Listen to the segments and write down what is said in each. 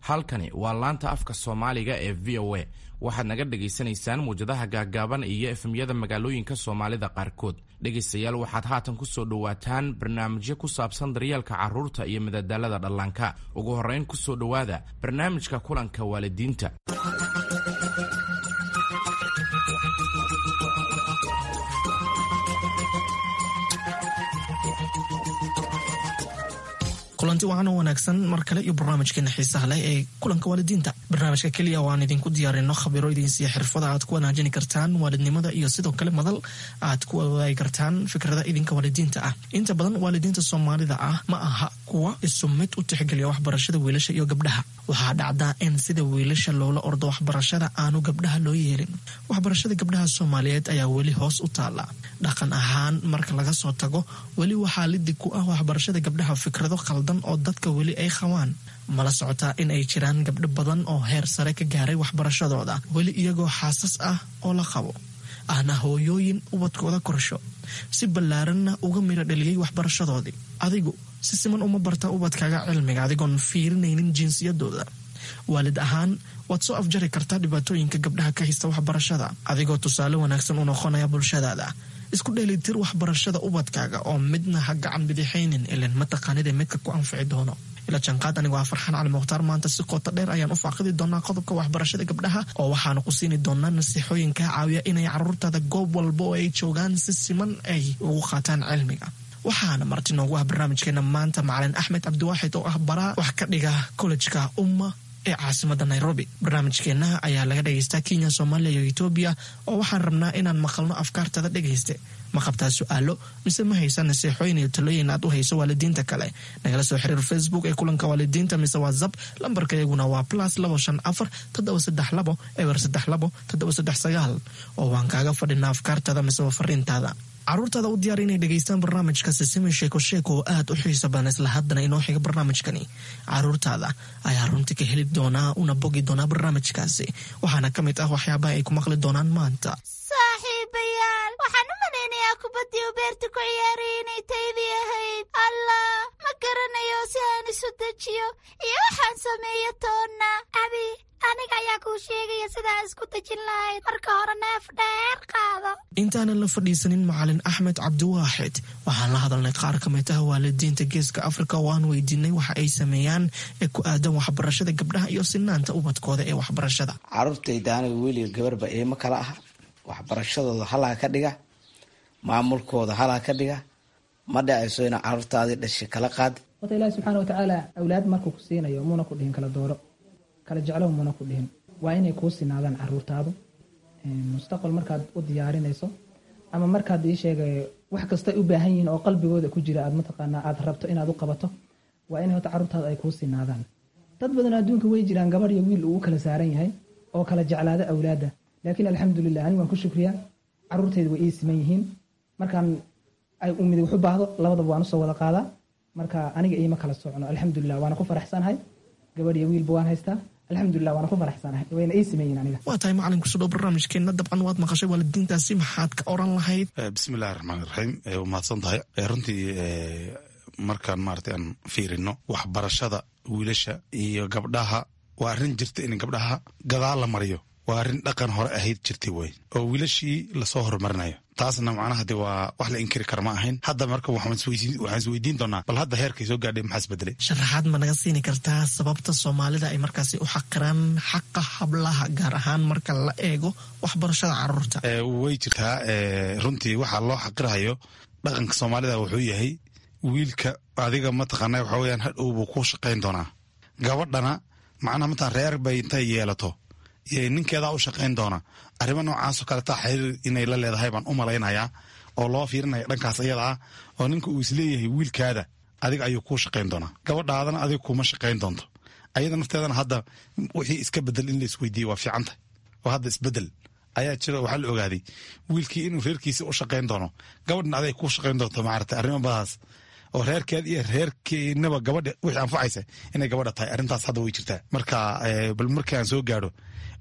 Halkani waa laanta afka Soomaaliga ee VOA. Waxaad naga dhagaysanaysaan muwjadaha gaaggaaban iyo FM-yada magaalooyinka Soomaalida qaarkood. Dhegaystayaal, waxaad haatan ku soo dhowaataan barnaamijyo ku saabsan daryeelka carruurta iyo madadaalada dhallaanka. Ugu horrayn, ku soo dhowaada barnaamijka kulanka waalidiinta. Kulanti wacan oo wanaagsan mar kale iyo barnaamijkeena xiisaha leh ee kulanka waalidiinta, barnaamijka keliya oo aan idinku diyaarino khabiro idinsiiya xirfada aad ku wanaajini kartaan waalidnimada iyo sidoo kale madal aad ku wadaagi kartaan fikrada idinka waalidiinta ah. Inta badan waalidiinta Soomaalida ah ma aha kuwa isu mid u tixgeliya waxbarashada wiilasha iyo gabdhaha. Waxaa dhacdaa in sida wiilasha loola ordo waxbarashada aanu gabdhaha loo yeelin. Waxbarashada gabdhaha Soomaaliyeed ayaa weli hoos u taala dhaqan ahaan marka laga soo tago. Weli waxaa lidig ku ah waxbarashada gabdhaha fikrado qaldan oo dadka weli ay qabaan. Mala socotaa in ay jiraan gabdho badan oo heer sare ka gaaray waxbarashadooda, weli iyagoo xaasas ah oo la qabo, ahna hooyooyin ubadkooda korsho, si ballaaranna uga midho dhaliyey waxbarashadoodii? Adigu si siman uma barta ubadkaaga cilmiga adigoon fiirinaynin jinsiyadooda? Waalid ahaan waad soo afjari kartaa dhibaatooyinka gabdhaha ka haysta waxbarashada adigoo tusaale wanaagsan u noqonaya bulshadaada. Isku dheelitir waxbarashada ubadkaaga oo midna ha gacan bidixaynin, ilan mataqaanida midka ku anfici doono. Ila janqaad. Anigoo ah Farxaan Cali Mukhtaar, maanta si qoto dheer ayaan u faaqidi doonaa qodobka waxbarashada gabdhaha, oo waxaanu ku siini doonaa nasiixooyin kaa caawiya inay caruurtaada goob walba oo ay joogaan si siman ay ugu qaataan cilmiga. Waxaana marti noogu ah barnaamijkeena maanta macalin Axmed Cabdiwaaxid oo ah baraa wax ka dhiga kollejka Umma ee caasimada Nairobi. Barnaamijkeenna ayaa laga dhegaystaa Kenya, Soomaaliya iyo Etoobiya, oo waxaan rabnaa inaan maqalno afkaartada. Dhegayste, ma qabtaa su-aalo mise ma haysa naseexooyin iyo talooyin aad u hayso waalidiinta kale? Nagala soo xiriir Facebook ee kulanka waalidiinta mise WhatsApp. Lambarka iyaguna waa +254 732 032 739, oo waan kaaga fadhinaa afkaartada mise fariintaada. Caruurtaada u diyaar inay dhegaystaan barnaamijka Sisimi Sheeko Sheeko oo aad u xiiso badan. Isla haddana inoo xiga barnaamijkani caruurtaada ayaa runti ka heli doonaa una bogi doonaa barnaamijkaasi. Waxaana ka mid ah waxyaabaha ay ku maqli doonaan maanta: Saaxiibayaal, waxaan u malaynayaa kubaddii u beerta ku ciyaarayay inay taydii ahayd. Allah, ma garanayo si aan isu dejiyo iyo waxaan sameeyo toonna. Abi, aniga ayaa kuu sheegaya sidaa isku dejin lahayd. Marka hore neef dheer qaado. Intaanan la fadhiisanin macalin Axmed Cabdiwaaxid, waxaan la hadalnay qaar ka mid ah waalidiinta Geeska Afrika oo aan weydiinay waxa ay sameeyaan ee ku aadan waxbarashada gabdhaha iyo sinaanta ubadkooda ee waxbarashada. Caruurtayda aniga wiil iyo gabarba iima kala ah. Waxbarashadooda halaa ka dhiga, maamulkooda halaa ka dhiga. Ma dhacayso ina caruurtaadii dhashay kala qaad. Horta Ilaahi subxaana watacaala awlaad markuu ku siinayo muuna ku dhihin kala dooro, kala jeclow muuna ku dhihin. Waa inay kuu sinaadaan caruurtaadu. Mustaqbal markaad u diyaarinayso ama markaad ii sheegay wax kasta u baahan yihiin oo qalbigooda ku jira aad mataqaanaa aad rabto inaad u qabato, waa inay horta caruurtaada ay kuu sinaadaan. Dad badan adduunka way jiraan gabadh iyo wiil uu u kala saaran yahay oo kala jeclaada awlaadda, laakiin alxamdulilah, anigu waan ku shukriyaa, caruurtayda way ii siman yihiin. Markaan ay umid wax u baahdo, labadaba waan usoo wada qaadaa. Marka aniga iima kala socno, alxamdulilah, waana ku faraxsanahay. Gabadh iyo wiilba waan haystaa, alxamdulilah, waana ku faraxsanahay, wayna ii siman yihiin aniga. Waa tahay macalin, kusoo dhow barnaamijkeenna. Dabcan waad maqashay waalidiintaasi, maxaad ka oran lahayd? Bismillahi raxmaan iraxiim. Waa mahadsan tahay. Runtii markaan maarata aan fiirino waxbarashada wiilasha iyo gabdhaha, waa arrin jirta in gabdhaha gadaal la mariyo. Waa arrin dhaqan hore ahayd jirtay wey, oo wiilashii lasoo horumarinayo. Taasna macnaha de waa wax la inkiri kara ma ahayn. Hadda marka waxaan isweydiin doonaa, bal hadda heerkay soo gaadhay maxaa isbedelay? Sharaxaad ma naga siini kartaa sababta Soomaalida ay markaasi u xaqiraan xaqa hablaha, gaar ahaan marka la eego waxbarashada caruurta? Way jirtaa. Runtii waxaa loo xaqirahayo dhaqanka Soomaalida wuxuu yahay wiilka adiga mataqaana waxa weyaan hadhow buu ku shaqayn doonaa. Gabadhana macnaha mataa reer bay intay yeelato iyo ninkeedaa u shaqayn doona. Arrimo noocaasoo kale taa xiriir inay la leedahay baan u malaynayaa, oo loo fiirinaya dhankaas iyada ah, oo ninka uu isleeyahay wiilkaada adiga ayuu kuu shaqayn doonaa, gabadhaadana adiga kuma shaqayn doonto. Ayada nafteedana hadda wixii iska bedel in la isweydiiye waa fiicanta, oo hadda isbedel ayaa jira. Waxaa la ogaaday wiilkii inuu reerkiisa u shaqayn doono, gabadhna aday kuu shaqayn doonto. Maarata arrimo badaas oo reerkeed iyo reerkeenaba gabadha wixii anfacaysa inay gabadha tahay, arrintaas hadda way jirtaa. Marka bal markii aan soo gaadho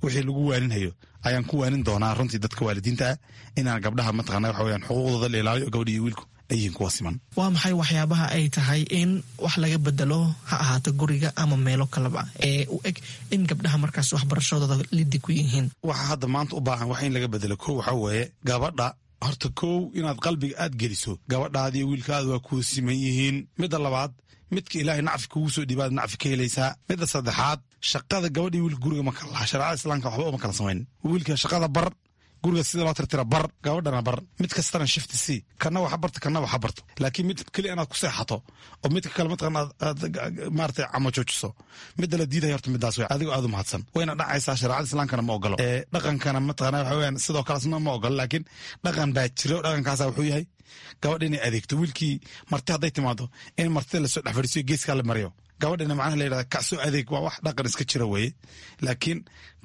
wixii lagu waaninhayo ayaan ku waanin doonaa runtii dadka waalidiinta ah inaan gabdhaha mataqana waxa weyaan xuquuqdooda la ilaaliyo, gabadha iyo wiilku ay yihiin kuwa siman. Waa maxay waxyaabaha ay tahay in wax laga bedelo, ha ahaato guriga ama meelo kaleba, ee u eg in gabdhaha markaas waxbarashadooda lidi ku yihiin? Waxa hadda maanta u baahan wax in laga bedelo, kow waxaa weeye gabadha. Horta kow, inaad qalbiga aad geliso gabadhaadiiyo wiilkaada waa kuu siman yihiin. Midda labaad, midka Ilaahay nacfi kugu soo dhiibaad nacfi ka helaysaa. Midda saddexaad, shaqada gabadhii wiilka guriga ma kala laha. Shareecada Islaamka waxba uma kala samayn. Wiilka shaqada bar, guriga sida loo tirtira bar, gabadhana bar. Mid kastana shift c, kana waxa barto, kana waxa barto. Laakiin mid keliya inaad ku seexato oo midka kale mataqan aad maaragtay camo joojiso, midda la diidaya horta midaas wey. Adigoo aad u mahadsan, wayna dhacaysaa. Shareecada Islaamkana ma ogolo, ee dhaqankana mataqana waxa weeyaan sidoo kale ma ogolo. Laakiin dhaqan baa jiro. Dhaqankaasa wuxuu yahay gabadha inay adeegto. Wiilkii marti hadday timaado, in martida lasoo dhex fadhiisiyo, geeskaa la mariyo, gabadhina macnaha la yidhahda kacsoo adeeg. Waa wax dhaqan iska jira weeye. Laakiin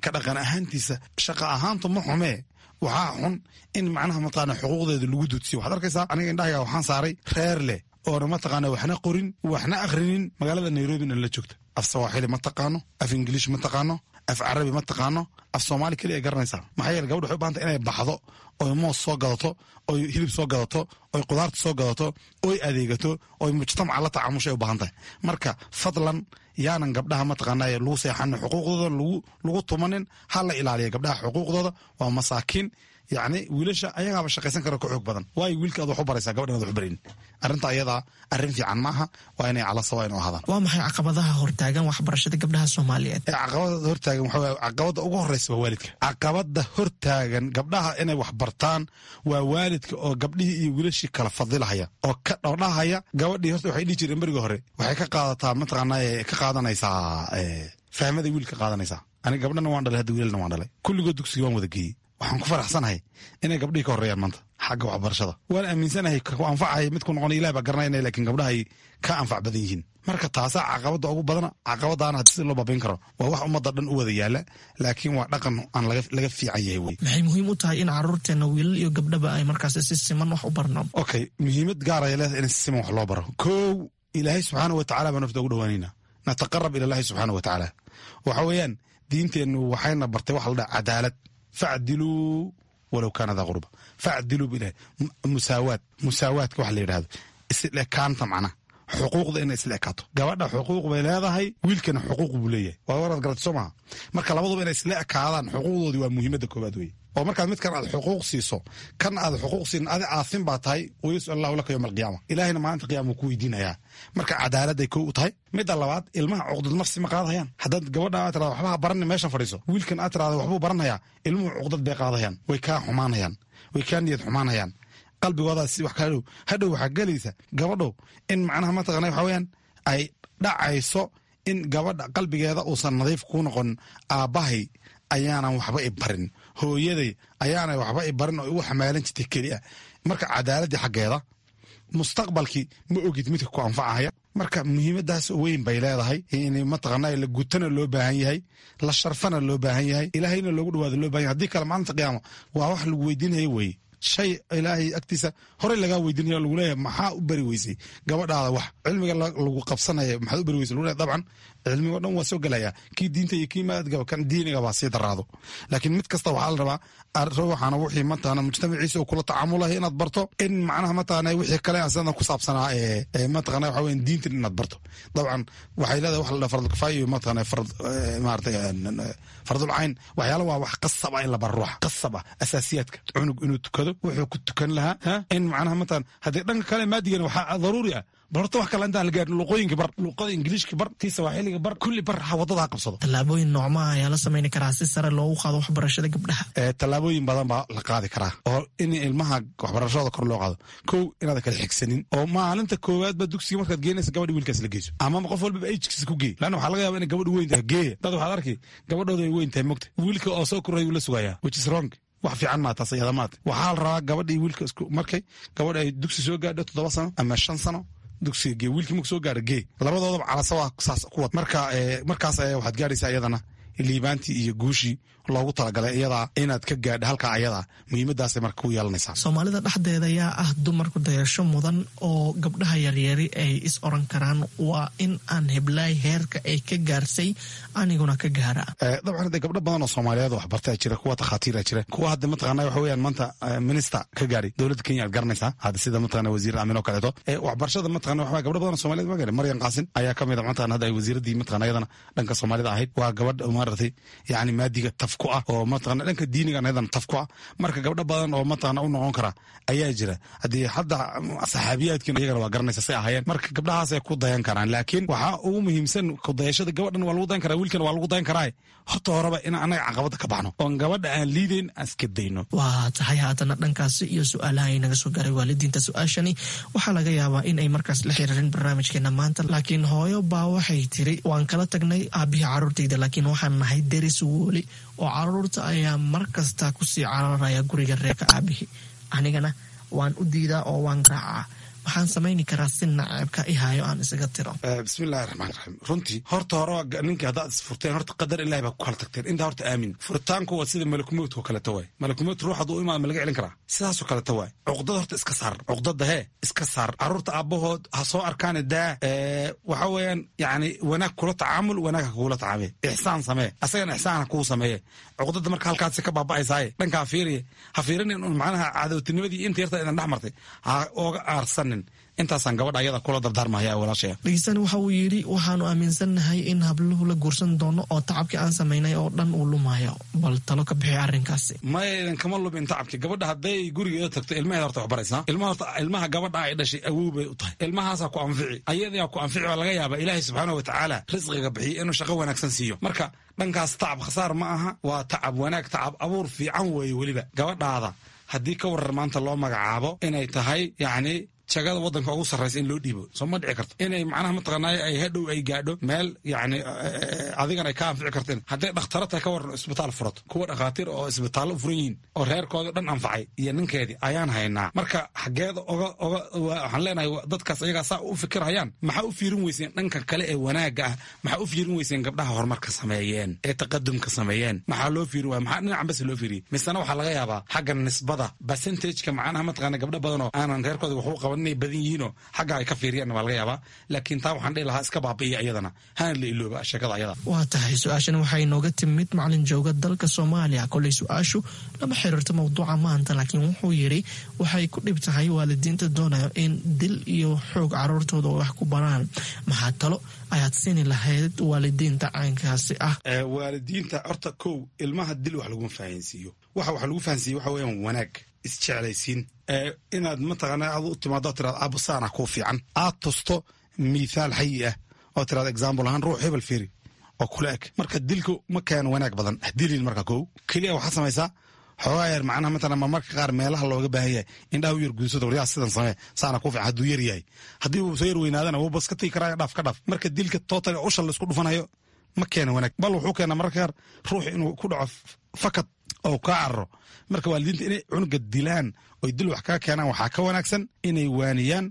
ka dhaqan ahaantiisa, shaqa ahaantu ma xumee. Waxaa xun in macnaha mataqaana xuquuqdeeda lagu duudsiyo. Waxaad arkaysaa, aniga indhahayga waxaan saaray reer leh oona mataqaana waxna qorin, waxna akhrinin, magaalada Nairobina la joogta. Af Sawaaxili ma taqaano, af Ingiliish ma taqaano, af Carabi ma taqaano, af Soomaali keliya ay garanaysaa. Maxaa yeele, gabadha waxay u bahanta inay baxdo, oy moos soo gadato, oy hilib soo gadato, oy qudaarta soo gadato, oy adeegato, oy mujtamaca la tacaamushay u baahan tahay. Marka fadlan, yaanan gabdhaha mataqaanaa lagu seexanin, xuquuqdooda lagu tumanin. Ha la ilaaliya gabdhaha xuquuqdooda, waa masaakiin. Yacni wiilasha ayagaaba shaqaysan kara, ka xoog badan. Waayo wiilka aad wax u baraysaa, gabadhan aad wax u barayn? Arrinta ayadaa arrin fiican maaha. Waa inay cala sawa inu ahaadaan. Waa maxay caqabadaha hortaagan waxbarashada gabdhaha Soomaaliyeed? Caqabada hortaagan waxaa weeye, caqabada ugu horeysa waa waalidka. Caqabada hortaagan gabdhaha inay wax bartaan waa waalidka oo gabdhihii iyo wiilashii kala fadilahaya oo ka dhowdhahaya. Gabadhii horta waxay dhihi jireen berigii hore, waxay ka qaadataa mataqaanaa, ka qaadanaysaa fahmaday wiilka qaadanaysaa. Aniga gabdhana waan dhalay hadda, wiilalna waan dhalay. Kulligood dugsiga waan wada geeyey. Waxaan ku faraxsanahay inay gabdhihii ka horreeyaan maanta xagga waxbarashada. Waan aaminsanahay ku anfacaya mid ku noqonay Ilaah baa garanayna, laakiin gabdhahay ka anfac badan yihiin. Marka taasaa caqabada ugu badana. Caqabadaana hadii sida loo baabayn karo waa wax ummadda dhan u wada yaala, laakiin waa dhaqan aan laga fiican yahay wey. Maxay muhiim u tahay in caruurteena wiilal iyo gabdhaba ay markaas si siman wax u barno? Okay, muhiimad gaar ay leedahay in si siman wax loo baro. Kow, Ilaahay subxaana wa tacala baa nafta ugu dhawaanayna, nataqarab ila Allahi subxaana wa tacaala. Waxa weeyaan diinteennu waxayna bartay waxa la dhaha cadaalad. Facdiluu walow kaana daa qurba, facdiluu bilahi. Musaawaad, musaawaadka waxa la yidhahdo, isla ekaanta, macnaha xuquuqda inay isla ekaato. Gabadha xuquuq bay leedahay, wiilkana xuquuq buu leeyahay. Waa waraad garata soo maha? Marka labaduba inay isla ekaadaan xuquuqdoodii waa muhiimadda koowaad weye. Oo markaad midkan aad xuquuq siiso, kan aad xuquuq siin, adi aafin baa tahay. Wayasal Allahu laka yowma alqiyaama, Ilaahayna maalinta qiyaama wuu ku weydiinayaa. Marka cadaaladday kow u tahay. Midda labaad, ilmaha cuqdad nafsi ma qaadahayaan. Haddaad gabadha aad tirahdo waxba ha baranin, meeshan fadhiiso, wiilkan aad tirahdo waxbuu baranayaa, ilmuhu cuqdad bay qaadahayaan, way kaa xumaanayaan, way kaa niyad xumaanayaan. Qalbigoodaa si wax kaa dhow hadhow waxaa gelaysa gabadhow in macnaha mataqana waxa weeyaan ay dhacayso in gabadha qalbigeeda uusan nadiif kuu noqon. Aabbahay ayaanan waxba i barin, hooyaday ayaanay waxba i barin oo igu xamaalan jirtay keliya. Marka cadaaladdii xaggeeda, mustaqbalkii ma ogid midka ku anfacahaya. Marka muhiimadaas weyn bay leedahay in mataqaana la gutana loo baahan yahay, la sharfana loo baahan yahay, Ilaahayna loogu dhawaado loo baahan yahay. Haddii kale maalinta qiyaama waa wax lagu weydiinaya weeye, shay Ilaahay agtiisa horey lagaa weydiinaya, lagu leeyahay maxaa u bari weysay gabadhaada wax cilmiga lagu qabsanaya, maxaad u bari weysay lagu leeyahay. Dabcan cilmiga o dhan waa soo gelaya, kii diinta iyo kii maadgaba, kan diiniga baa sii daraado. Laakiin mid kasta waxaa la rabaa ruuxana wixii mataqaana mujtamaciisa uu kula tacaamulahay inaad barto, in macnaha mataqaana wixii kale asana ku saabsanaa ee mataqaana waxa weeyaan diintan inaad barto. Dabcan waxay leedahay wax la dhaha fardul kifaaya iyo mataqaana fard maaragtay fardul cayn. Waxyaala waa wax qasab ah in la baro ruuxa, qasab ah, asaasiyaadka, cunug inuu tukado, wuxuu ku tukan lahaa, in macnaha mataqaana haddii dhanka kale maadigana waxaa daruuri ah. Bal horta wax kale intaan la gaarin, luqooyinka bar, luqada Ingiliishka bar, tii Sawaaxiliga bar, kulli bar, ha waddada ha qabsado. Tallaabooyin noocmaha ayaa la samayni karaa si sare loogu qaado waxbarashada gabdhaha? Tallaabooyin badan baa la qaadi karaa oo in ilmaha waxbarashada kor loo qaado. Kow, inaad kala xigsanin oo maalinta koowaad ba dugsiga markaad geenaysa gabadha wiilkaas la geyso, ama qof walbaba age-kiisa ku geey, lanna waxaa laga yaaba inay gabadhu weyn tahay. Geeya dad waxaad arki gabadhooda ay weyn tahay, mogta wiilka oo soo koray uu la sugayaa, which is wrong. Wax fiican maa taas iyada maata. Waxaa la rabaa gabadha iyo wiilka isku markay gabadha ay dugsi soo gaadho 7 sano ama 5 sano, dugsiga gee. Wiilkii marku soo gaadho gee. Labadoodaba calasawa saas ku wad. Marka markaas ayaa waxaad gaadhaysaa iyadana. Liibaantii iyo guushii loogu talagalay iyadaa inaad ka gaadha halkaa ayadaa, muhiimadaasay marka ku yeelanaysaa. Soomaalida dhexdeeda yaa ah dumarku dayasho mudan oo gabdhaha yaryari ay is oran karaan waa in aan heblaay heerka ay ka gaarsay aniguna ka gaara? Dabcan de gabdho badan oo Soomaaliyeed waxbartaa jira, kuwa takhaatiira jira, kuwa hadda mataqaana waxa weeyaan maanta minister ka gaadhay dowladda Kenya aad garanaysaa hadda, sida mataqana wasiir Aamin oo kaleeto. Waxbarashada mataqana waxa gabdho badan oo Soomaaliyeed ma gaadhay. Maryan Qaasin ayaa ka mid a mataqana hadda ay wasiiraddii mataqana iyadana dhanka Soomaalida ahayd. Waa gabadh maaragtay yacni maadiga taf ku ah oo mataqana dhanka diiniga iyadana taf ku ah. Marka gabdho badan oo mataqana u noqon kara ayaa jira. Haddii hadda saxaabiyaadkiin iyagana waa garanaysa say ahaayeen. Marka gabdhahaas ay ku dayan karaan, laakiin waxaa ugu muhiimsan kudayashada gabadhan waa lagu dayan karaa, wiilkan waa lagu dayan karaa. Horta horeba in annaga caqabada ka baxno oon gabadha aan liidayn aan iska dayno. Waa tahay. Haatana dhankaasi iyo su-aalaha ay naga soo gaaray waalidiinta. Su-aashani waxaa laga yaabaa in ay markaas la xiriirin barnaamijkeena maanta, laakiin hooyo baa waxay tiri: waan kala tagnay aabihii caruurtayda, laakiin waxaan nahay deris weli oo caruurta ayaa mar kasta kusii cararaya guriga reerka aabihii, anigana waan u diidaa oo waan garaacaa. Waxaan samayni karaa si naceebka i hayo aan isaga tiro? Bismillahi raxmaan raxiim. Runtii horta hore ninkii haddaad isfurteen, horta qadar Ilahi baa ku kala tagteen. Intaa horta aamin. Furitaanku waa sida malakumowdka oo kaleeto waay. Malakumowd ruux hadduu u imaado ma laga celin karaa? Sidaasoo kaleeto waay. Cuqdada horta iska saar, cuqdada hee iska saar. Carruurta aabbahood ha soo arkaane daa. Waxa weeyaan yacni wanaag kula tacaamul, wanaag ha kugula tacaamee, ixsaan samee, asagana ixsaan ha kuu sameeye. Cuqdada marka halkaasi ka baaba'aysaaye dhankaa fiiriye, ha fiirinin un macnaha cadowtinimadii inta yarta idan dhex martay ha ooga aarsan. Intaasaan gabadha ayada kula dardaarmahaya walaashaya. Dhegeystan waxa uu yidhi: waxaanu aaminsannahay in habluhu la guursan doono oo tacabkii aan samaynay oo dhan uu lumayo. Bal talo ka bixi arrinkaasi. Maya, idan kama lumin tacabki. Gabadha hadday gurigeeda tagto ilmaheeda horta waxbaraysaa. Ilmaha horta, ilmaha gabadha ay dhashay awow bay u tahay. Ilmahaasaa ku anfici, ayadaa ku anfici. Baa laga yaabaa Ilaahay subxaana watacaala risqiga bixiyo inuu shaqo wanaagsan siiyo. Marka dhankaas tacab khasaar ma aha, waa tacab wanaag, tacab abuur fiican weeye. Weliba gabadhaada haddii ka warar maanta loo magacaabo inay tahay yacni jagada waddanka ugu sarraysa in loo dhiibo, soo ma dhici karto inay macnaha mataqaanaa ay hadhow ay gaadho meel yacni adigana ay ka anfici karteen? Hadday dhakhtaro tahay ka waran, isbitaal furato, kuwa dhakhaatiir oo isbitaallo u furan yihiin oo reerkooda dhan anfacay iyo ninkeedii ayaan haynaa. Marka xaggeeda oga oga waxaan leenahay dadkaas ayagaa saa u fikirhayaan, maxaa u fiirin weyseen dhanka kale ee wanaagga ah? Maxaa u fiirin weyseen gabdhaha horumarka sameeyeen ee taqadumka sameeyeen? Maxaa loo fiirin waaya? Maxaa dhinacan bas loo fiiriyey? Misena waxaa laga yaabaa xagga nisbada percentageka macnaha mataqaana gabdho badan oo aanan reerkooda waxu qaban inay badan yihiinoo xagga ay ka fiiriyaan waa laga yaabaa. Laakiin taa waxaan dhihi lahaa iska baabi'iya iyadana, hana la ilooba sheekada ayada. Waa tahay. Su-aashan waxay nooga timid macalin jooga dalka Soomaaliya. Koley su-aashu lama xiriirto mowduuca maanta, laakiin wuxuu yidhi waxay ku dhib tahay waalidiinta doonayo in dil iyo xoog caruurtooda wax ku baraan. Maxaa talo ayaad siini lahayd waalidiinta caynkaasi ah? Waalidiinta horta kow, ilmaha dil wax laguma fahansiiyo. Waxa wax lagu fahansiiyo waxa weeyaan wanaag, isjeclaysiin, inaad mataqaana aad u timaado tiraad aabbo saana kuu fiican, aad tusto mithaal xayi ah oo tiraad example ahaan ruux hebel fiiri oo kula eg. Marka dilku ma keeno wanaag badan, dilin. Marka kow keliya waxaad samaysaa xoogaa yar macnaha matalan marmarka qaar meelaha looga baahan yahay indhaha u yar guudsado, waryaa sidan samee, saana kuu fiican. Hadduu yar yahay, haddii uu soo yar weynaadana wuu bas ka tigi karaa, dhaaf ka dhaaf. Marka dilka total usha laisku dhufanayo ma keeno wanaag, bal wuxuu keenaa mararka qaar ruux inuu ku dhaco fakad oo kaa cararo. Marka waalidiinta inay cunuga dilaan oy dil wax kaga keenaan waxaa ka wanaagsan inay waaniyaan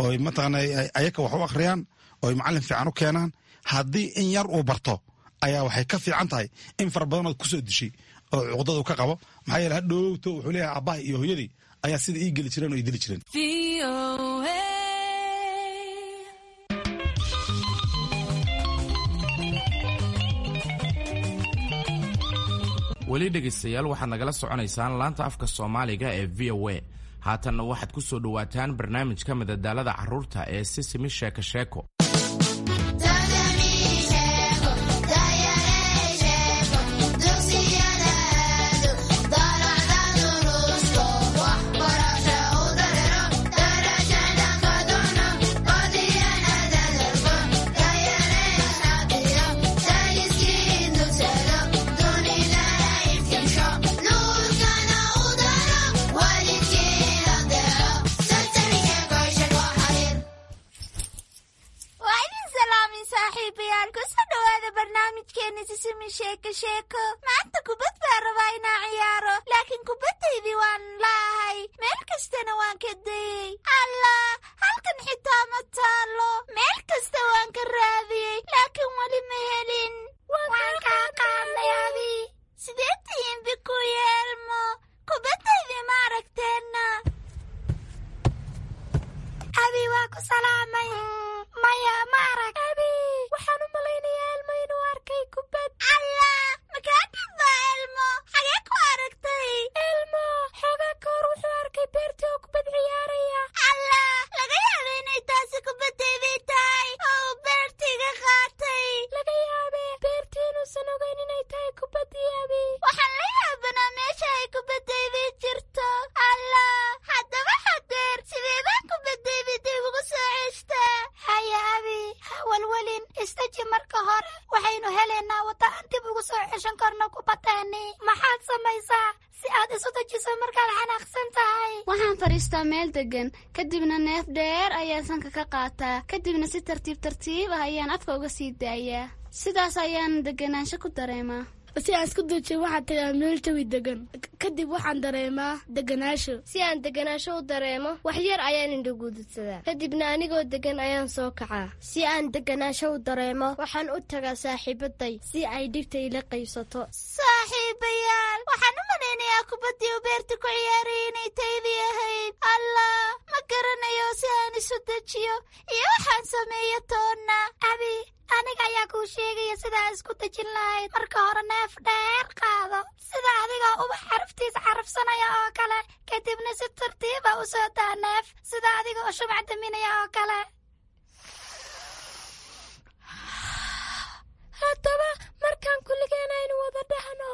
oy mataqaana ayaka wax u akhriyaan oy macallin fiican u keenaan. Haddii in yar uu barto ayaa waxay ka fiican tahay in fara badanood kusoo dishay oo cuqdadu ka qabo. Maxaa yeele hadhowto wuxuu leeyahay aabbaha iyo hooyadii ayaa sida ii geli jireen oo ii dili jireen. Weli dhegaystayaal, waxaad nagala soconaysaan laanta afka Soomaaliga ee VOA. Haatanna waxaad ku soo dhowaataan barnaamijka madadaalada carruurta ee Sisimi Sheeko Sheeko. Waa idin salaamin saaxiibayaal, kusoo dhawaada barnaamijkeena Sisimi Sheeko Sheeko. Maanta kubad baa rabaa inaan ciyaaro, laakiin kubaddaydii waan laahay, meel kastana waan ka dayey. Allah, halkan xitaa ma taalo. Meel kasta waan ka raadiyey, laakiin weli ma helin. Waan kaa qaadnay. Maanan ogeyn inay tahay kubaddii Abi. Waxaan la yaabanaa meesha ay kubaddaydii jirto. Allah, haddaba hadeer sidee baan kubaddaydii dib ugu soo ceshtaa? Haya Abi, ha walwalin, istaji marka hore. Waxaynu helaynaa wadda aan dib ugu soo ceshan karno kubaddeennii. Maxaad samaysaa si aad isu dejiso markaad xanaaqsan tahay? Waxaan fadhiistaa meel deggan, kadibna neef dheer ayaan sanka ka qaataa, kadibna si tartiib tartiib ah ayaan afka uga sii daayaa. Sidaas ayaan deganaansho ku dareemaa. Si aan isku dejiyo waxaan tagaa meel jawi degan, kadib waxaan dareemaa deganaasho. Si aan deganaasho u dareemo, wax yar ayaan indhaguududsadaa, kadibna anigoo degan ayaan soo kacaa. Si aan deganaasho u dareemo, waxaan u tagaa saaxiibaday si ay dhibta ila qaybsato. Saaxiibayaal, waxaan u malaynayaa kubaddii u beerta ku ciyaarayay inay taydii ahayd. Allah, ma garanayo si aan isu dejiyo iyo waxaan sameeyo toonna. Abi, aniga ayaa kuu sheegaya sidaa isku dejin lahayd. Marka hore neef dheer qaado, sida adigoo ubax xaraftiis xarafsanaya oo kale, kadibna si tartiiba u soo daa neef, sida adigoo shumac daminaya oo kale. Haddaba markaan kulligeen aynu wada dhahno.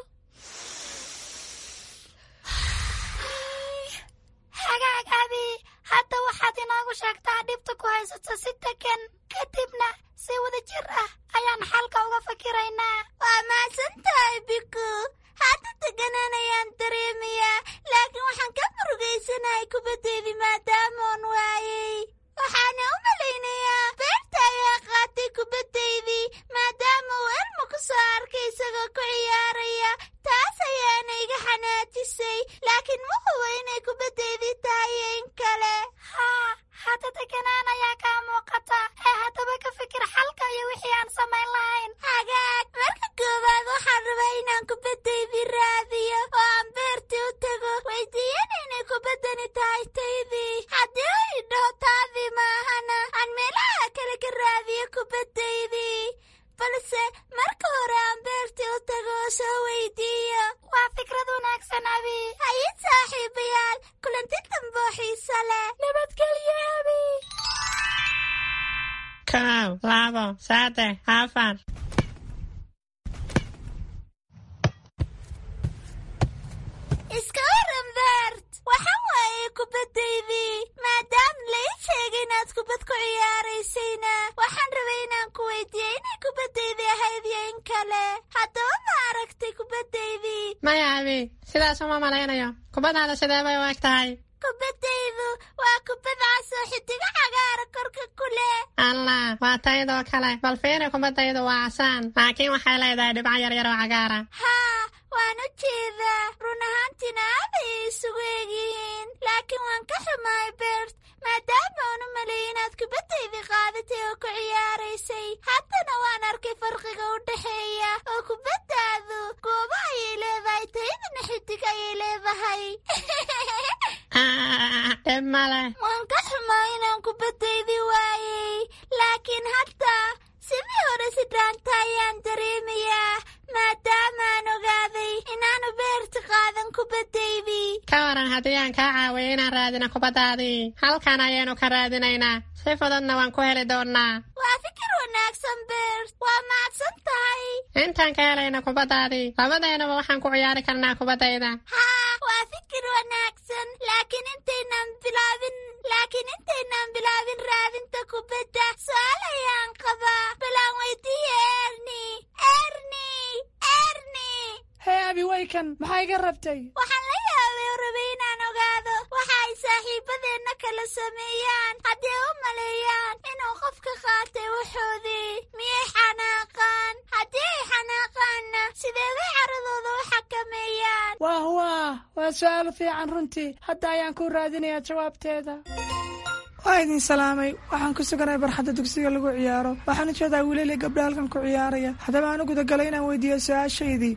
Hagaag Abi, hadda waxaad inoogu sheegtaa dhibta ku haysato si degan, kadibna si wada jir ah ayaan xalka uga fakiraynaa. Waa mahadsan tahay Biku. Hadda deganaan ayaan dareemayaa, laakiin waxaan ka murugaysanahay kubaddeydii maadaamoon waayey. Waxaana u malaynayaa beerta ayaa qaatay kubaddaydii maadaama uu Elmo ku soo arkay isagoo ku ciyaaraya. Taas ayaana iga xanaajisay, laakiin ma hubo inay kubaddaydii tahay iyo in kale. Haa, hadda deganaan ayaa kaa muuqata ee haddaba ka fikir xalka iyo wixii aan samayn lahayn. Hagaag, marka koowaad waxaan rabaa inaan kubaddaydii raadiyo oo aan beertii u tago, weydiiyana inay kubaddani tahay taydii. Haddii uu idhaho taadii maahana, aan meelaha kale ka raadiyo kubaddaydii. Balse marka hore aan beertii u tago oo soo weydiiyo. Waa fikrad wanaagsan Abi. Haye saaxiibayaal, kulanti dambe oo xiiso leh. Nabadgelyo Abi. 1, 2, 3, 4. Iska waran Bert, waxaan waayay kubaddaydii. Maadaama la ii sheegay inaad kubad ku ciyaaraysayna, waxaan rabay inaan ku weydiiyo inay kubaddaydii ahayd iyo in kale. Haddaba ma aragtay kubaddaydii? Maya Abi, sidaas uma malaynayo. Kubaddaada sidee bay u eg tahay? Kubaddaydu waa kubad cas oo xidigo cagaara korka ku leh. Allah, waa taydoo kale. Bal fiiri, kubaddaydu waa casaan, laakiin waxay leedahay dhibco yaryar oo cagaara. Haa, waan u jeedaa. Run ahaantiina aad ayay isugu egyihiin, laakiin waan ka xumahay Bert, maadaama aan u maleeyay inaad kubaddaydii qaadatay oo ku ciyaaraysay. Haddana waan arkay farqiga u dhexeeya, oo kubaddaadu goobo ayay leedahay, taydana xidig ayay leedahay. Dhib male. Waan ka xumaa inaan kubaddaydii waayey, laakiin hadda sidii hore si dhaanta ayaan dareemayaa, maadaamaan ogaaday inaanu beerta qaadan kubaddaydii. Ka waran haddii aan kaa caawiyo inaan raadino kubaddaadii? Halkan ayaynu ka raadinaynaa, si fududna waan ku heli doonnaa. Waa fikir wanaagsan Bert, waa mahadsan tahay. Intaan ka helayno kubaddaadii, labadeenaba waxaan ku ciyaari karnaa kubaddayda. Haa, waa fikir wanaagsan, laakiin intaynaan bilaabin raadinta kubadda, su'aal ayaan qabaa. Balaan weydiiye Erni. Erni, Erni. Hee Abi, waykan, maxaa iga rabtay? Waxaan la yaabay oo rabay inaan ogaado waxa ay saaxiibadeenna kala sameeyaan haddii u maleeyaan inuu qofka qaatay wuxoodii. Miyay xanaaqaan? Haddii ay xanaaqaanna, sidee bay caradooda u xakameeyaan? Waah waah, waa su'aal fiican runtii. Hadda ayaan ku raadinayaa jawaabteeda. Waa idin salaamay. Waxaan ku suganahay barxadda dugsiga lagu ciyaaro. Waxaan u jeedaa wiilal iyo gabdho halkan ku ciyaaraya. Haddaba aan u gudagalay inaan weydiiyo su-aashaydii.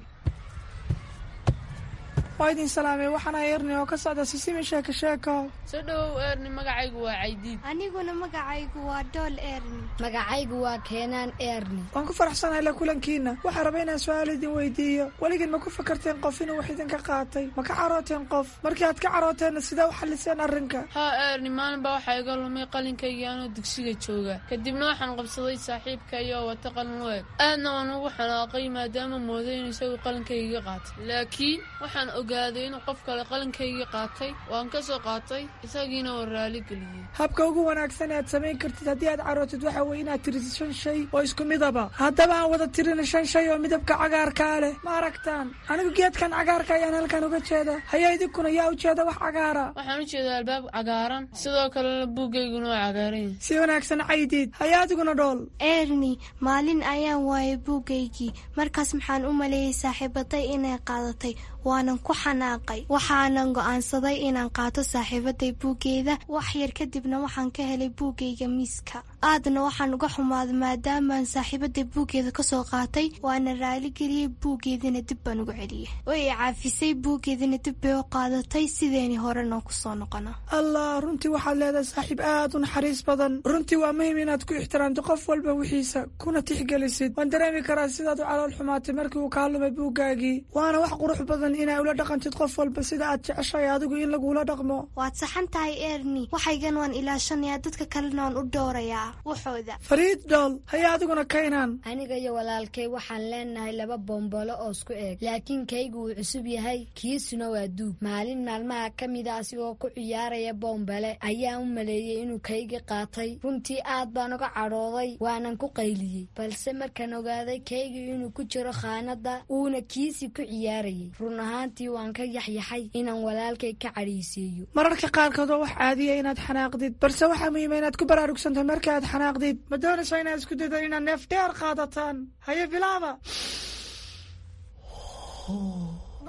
Waa idin salaamay, waxaana Erni oo ka socda Sisimi Sheeko Sheeko. Soo dhowow Erni, magacaygu waa Caydiid. Aniguna magacaygu waa Dhool Erni. Magacaygu waa Keenaan Erni. Waan ku faraxsanahay la kulankiina. Waxaan rabay inaan su-aal idin weydiiyo. Weligiin ma ku fakarteen qof inuu wax idinka qaatay? Ma ka carooteen qof? Markii aad ka carooteenna, sidee u xalliseen arrinka? Haa Erni, maalin baa waxaa iga lumay qalinkaygii anoo dugsiga jooga. Kadibna waxaan qabsaday saaxiibkay oo wata qalin u eg. Aadna waan ugu xanaaqay maadaama mooday inuu isagu qalinkaygii qaatay, laakiin waxaan ogaaday inuu qof kale qalinkaygii qaatay. Waan ka soo qaatay, isagiina waan raali geliyey. Habka ugu wanaagsan ee aad samayn kartid haddii aad carootid waxa weye inaad tirisid shan shay oo isku midaba. Haddaba aan wada tirina shan shay oo midabka cagaarkaa leh. Ma aragtaan? Anigu geedkan cagaarka ayaan halkan uga jeeda. Haya, idinkuna yaa u jeeda wax cagaara? Waxaan u jeedaa albaab cagaaran, sidoo kalena buuggayguna waa cagaaran yahay. Si wanaagsan, Caydiid. Haya, adiguna Dhool. Erni, maalin ayaan waayay buuggaygii. Markaas maxaan u maleeyey saaxiibaday inay qaadatay, waanan ku xanaaqay. Waxaanan go'aansaday inaan qaato saaxiibaday buuggeeda. Wax yar kadibna waxaan ka helay buuggayga miiska. Aadna waxaan uga xumaaday maadaamaan saaxiibaday buuggeeda kasoo qaatay. Waana raaligeliyey, buuggeedina dib baan ugu celiyey. Way i caafisay, buuggeedina dib bay u qaadatay. Sideeni horena kusoo noqona. Allah, runtii waxaad leedahay saaxiib aad u naxariis badan. Runtii waa muhiim inaad ku ixtiraamto qof walba wixiisa, kuna tixgelisid. Waan dareemi karaa sidaad u calool xumaatay markii uu kaa lumay buuggaagii, waana wax qurux badan inaa ula dhaqantid qof walba sida aad jeceshahay adigu in lagula dhaqmo. Waad saxan tahay Erni, waxaygan waan ilaashanayaa, dadka kalena waan u dhowrayaa waxooda. Fariid Dhool. Haya, adiguna Kaynaan. Aniga iyo walaalkay waxaan leenahay laba bombolo oo isku eeg, laakiin kaygu wuu cusub yahay, kiisuna waa duug. Maalin maalmaha ka mida asigoo ku ciyaaraya bombale ayaan u maleeyey inuu kaygi qaatay. Runtii aad baan uga cadhooday, waanan ku qayliyey, balse markaan ogaaday kaygii inuu ku jiro khaanadda uuna kiisii ku ciyaarayay, run ahaantii waan ka yaxyaxay inaan walaalkay ka cadhaysiiyo. Mararka qaarkood waa wax caadiya inaad xanaaqdid, balse waxaa muhiima inaad ku baraarugsantahay marka aad xanaaqdid. Ma doonaysaa inaad isku daydo inaad neef dheer qaadataan? Haye, bilaaba.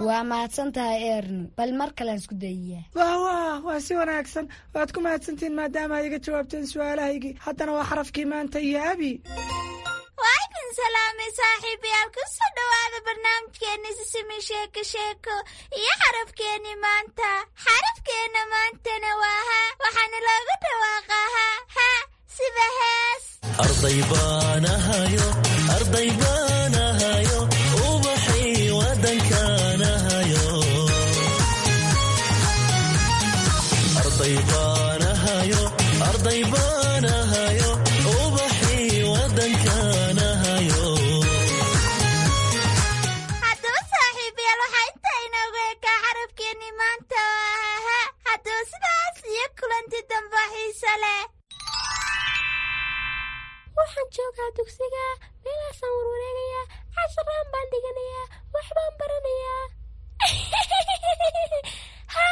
Waa mahadsan tahay Erni, bal mar kalean isku dayiyaa. Wah wah, waa si wanaagsan. Waad ku mahadsantihiin maadaama aad iga jawaabteen su-aalahaygii. Haddana waa xarafkii maanta iyo Abi. Waa idin salaamay saaxiibayaal, kusoo dhowaada barnaamijkeeni Sisimi Sheeko Sheeko iyo xarafkeeni maanta. Xarafkeena maantana waa ha, waxaana loogu dhawaaqaa ha ha sida hees. Arday baan ahayo, arday baan ahayo, ubaxii wadankaan ahayo. Arday baan ahayo, arday baan ahayo, ubaxii wadankaan ahayo. Haddaba saaxiibayaal, waxaa intaa inoogu ekaa xarafkeeni maanta oo ah ha. Haddaba sidaas iyo kulanti dambe xiise leh. Waxaan joogaa dugsiga, meelaasaan warwareegayaa, casharaan baan dhiganayaa, waxbaan baranayaa. Ha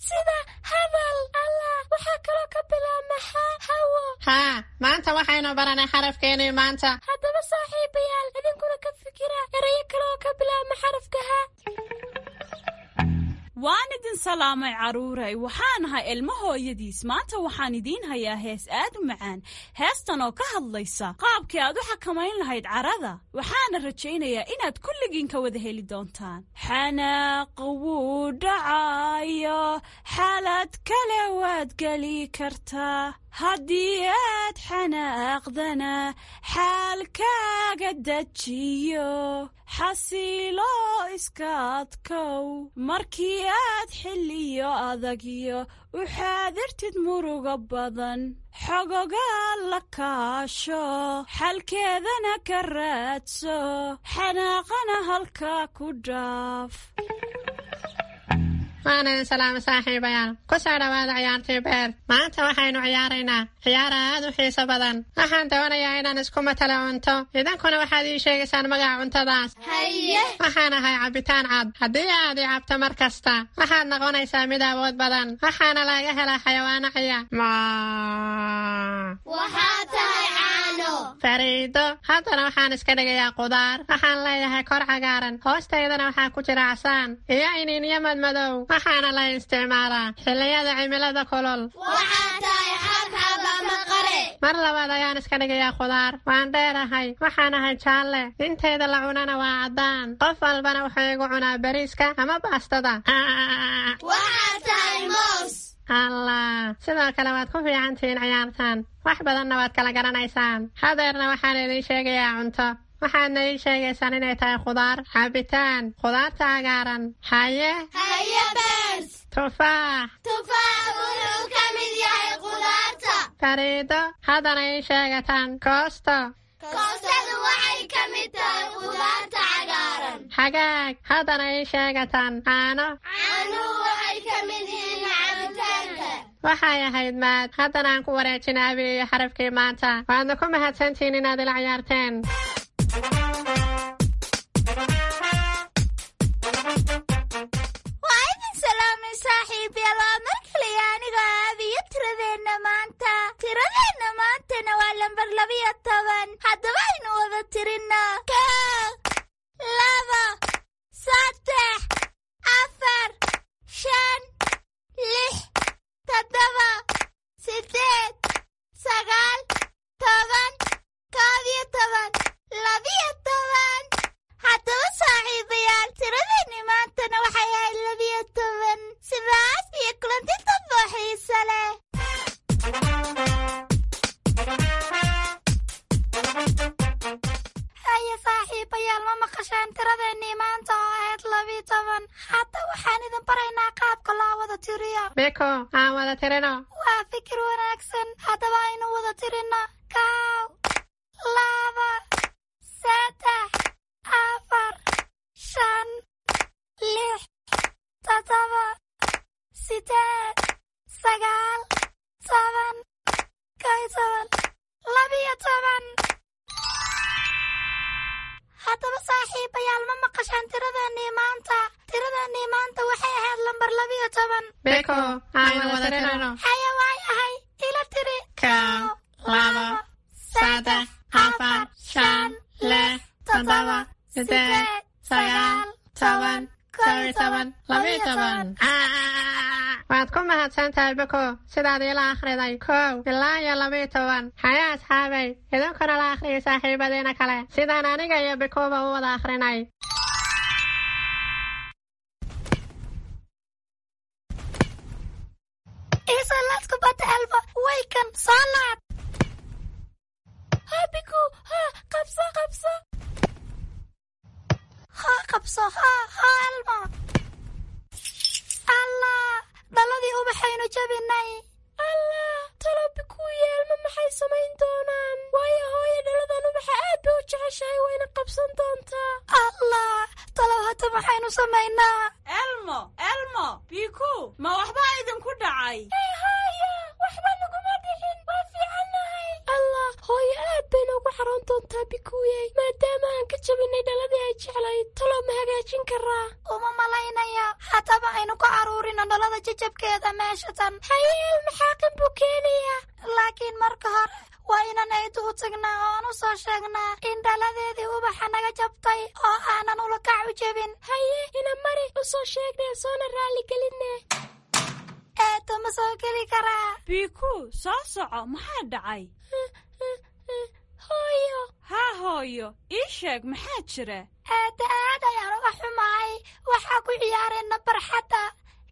sida hadal. Allah, waxaa kaloo ka bilaabma ha hawo. Haa, maanta waxaynu baranay xarafkeenii maanta. Haddaba saaxiibayaal, idinkuna ka fikira erayo kale oo ka bilaabma xarafka ha. Waan idin salaamay carruuray, waxaan ahay ilmo hooyadiis. Maanta waxaan idiin hayaa hees aad u macaan, heestan oo ka hadlaysa qaabkii aad u xakamayn lahayd carada. Waxaana rajaynayaa inaad kulligiin ka wada heli doontaan. Xanaaq wuu dhacayo, xaalad kale waad geli kartaa. Haddii aad xanaaqdana, xaalkaaga dejiyo, xasiilo, iska adkow. Markii aad xilliyo adagyo u xaadirtid murugo badan, xogogaa la kaasho, xalkeedana ka raadso, xanaaqana halkaa ku dhaaf. Waan idin salaama saaxiibayaal, ku soo dhowaada ciyaartii beer. Maanta waxaynu ciyaaraynaa ciyaar aad u xiiso badan. Waxaan doonayaa inaan isku matalo cunto, idinkuna waxaad ii sheegaysaan magaca cuntadaas. Haye. Waxaan ahay cabitaan cad. Haddii aad i cabto mar kasta, waxaad noqonaysaa mid awood badan. Waxaana laga helaa xayawaano ciya. Waxaa tahay caano. Fariido. Haddana waxaan iska dhigayaa qudaar. Waxaan leeyahay kor cagaaran, hoostaydana waxaa ku jira casaan iyo iniinyo madmadow. Waxaana la isticmaalaa xilliyada cimilada kulul. Waxaa tahay xabxab ama qare. Mar labaad ayaan iska dhigayaa khudaar. Waan dheerahay, waxaan ahay jaalle, intayda la cunana waa caddaan. Qof walbana wuxuu igu cunaa bariiska ama baastada. Waxaad tahay moos. Allah, sidoo kale waad ku fiicantihiin ciyaartan, wax badanna waad kala garanaysaan. Hadeerna waxaan idiin sheegayaa cunto, waxaadna ii sheegaysaan inay tahay khudaar, cabitaan, khudaarta cagaaran. Haye? Haye Beers. Tufaax. Tufaax wuxuu ka mid yahay khudaarta. Fariido, haddana ii sheegataan koosto. Koostadu waxay ka mid tahay khudaarta cagaaran. Hagaag, haddana ii sheegataan caano. Caanuhu waxay ka mid yihiin cabitaanka. Waxay ahayd maad. Haddana aan ku wareejina Abi iyo xarafkii maanta. Waadna ku mahadsantihiin inaad ila ciyaarteen. Waa idin salaamay saaxiibayaal, waa mar kaliya anigoo Aabiyo tiradeenna maanta. Tiradeenna maantana waa lambar 12. Haddaba aynu wada tirinno: 1, 2, 3, 4, 5, 6, 7, 8, 9, 10, 11, 12. Haddaba saaxiibayaal, tiradeenni maantana waxay ahayd 12. Sidaas iyo kulanti dambo xiise leh. Haye saaxiibayaal, ma maqasheen tiradeennii maanta oo ahayd 12? Hadda waxaan idin baraynaa qaabka loo wada tiriyo. Biko, aan wada tirino. Waa fikir wanaagsan. Haddaba aynu wada tirino: 1, 2, 3, 4, 5, 6, 7, 8, 9, 10, 11, 12. Haddaba saaxiibayaal, ma maqashaan tiradeennii maanta? Tiradeennii maanta waxay ahayd lambar 12. Biko, aan wada tirino. Haye, waay ahay, ila tiri. 1, 2, 3, 4, 5, 6, 7, 8, 9, 10, 11, 12. Waad ku mahadsan tahay Biko sidaad iila akhriday 1 ilaa iyo 12. Haya asxaabay, idinkuna la akhriyay saaxiibadiina kale sidaan aniga iyo Bikoba u wada akhrinay. Iisoo laad kubadda, Elmo. Waykan, soo laad. Ha Biku, ha, qabso, qabso. Ha, qabso, ha, ha Elmo. Allah, dhaladii ubaxaynu jabinay. Allah, talo Biku iyo Elmo maxay samayn doonaan? Waayo hooyo dhaladan ubaxa aad bay u jeceshahay, wayna qabsan doontaa. Allah, talow hadda maxaynu samaynaa? Elmo, Elmo, Biku, ma waxbaa idinku dhacay? Ee hooyo, waxba naguma dhicin, waa fiicannahay. Allah, hooyo aad bay noogu xaroon doontaa Bikuyey, maadaama aan ka jabinay dhaladii ay jeclayd. Talow ma hagaajin karaa? Uma malaynaya. Haddaba aynu ku caruurino dhalada jajabkeeda meesha tan. Haye, Elmo xaaqin buu keenayaa. Laakiin marka hore waa inaan eedu u tagnaa oo aan u soo sheegnaa in dhaladeedii ubaxa naga jabtay oo aanan ulakac u jebin. Haye, ina mari, u soo sheegnee, soona raaligelinne. Eedo, ma soo geli karaa? Biku, soo soco, maxaa dhacay? Hooyo. Haa hooyo, ii sheeg maxaa jira? Eedda, aad ayaan uga xumahay. Waxaa ku ciyaarayna barxadda,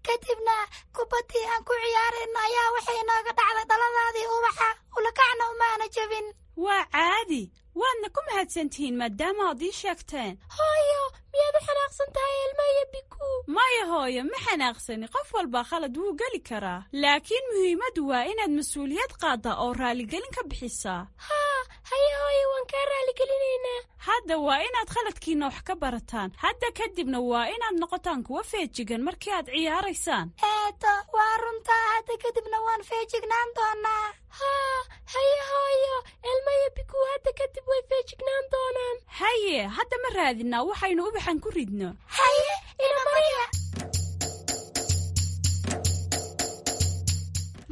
kadibna kubaddii aan ku ciyaarayna ayaa waxay inooga dhacday dhaladaadii ubaxa, ulakacna umaana jebin. Waa caadi, waadna ku mahadsantihiin maadaama aad ii sheegteen. Hooyo, miyaad u xanaaqsan tahay Elmo iyo Biku? Maya hooyo, ma xanaaqsani. Qof walbaa khalad wuu geli karaa, laakiin muhiimaddu waa inaad mas-uuliyad qaaddaa oo raaligelin ka bixisaa. Haa, haye hooyo, waan kaa raaligelineynaa. Hadda waa inaad khaladkiinna wax ka barataan. Hadda kadibna waa inaad noqotaan kuwa feejigan markii aad ciyaaraysaan. Eedo, waa runtaa. Hadda kadibna waan feejignaan doonaa. Haa, haye hooyo, Elmo iyo Biku hadda kadib way feejignaan doonaan. Haye, hadda ma raadinaa waxaynu ubaxan ku ridno? Haye, ina mariya.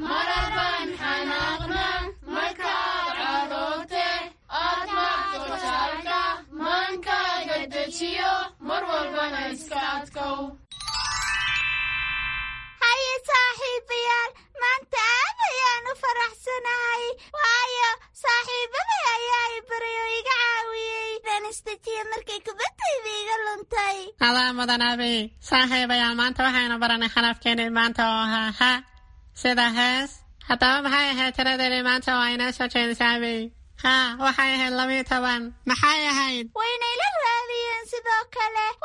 Marar baan xanaaqnaa markaad caroote, aad maagto jaalka, maankaaga dejiyo, mar walbana iska adkow. Haye saaxiibayaal, maanta aad ayaan u faraxsanahay, waayo Adaa mudan, Abi. Saaxiibayaal, maanta waxaynu baranay xarafkeenii maanta oo ahaa ha, sida hees. Haddaba maxay ahayd tiradeedii maanta oo aynoo soo jeedisay, Abi? Ha, waxay ahayd 12. Maxay ahayd? Waynayla raadiyeen sidoo kale.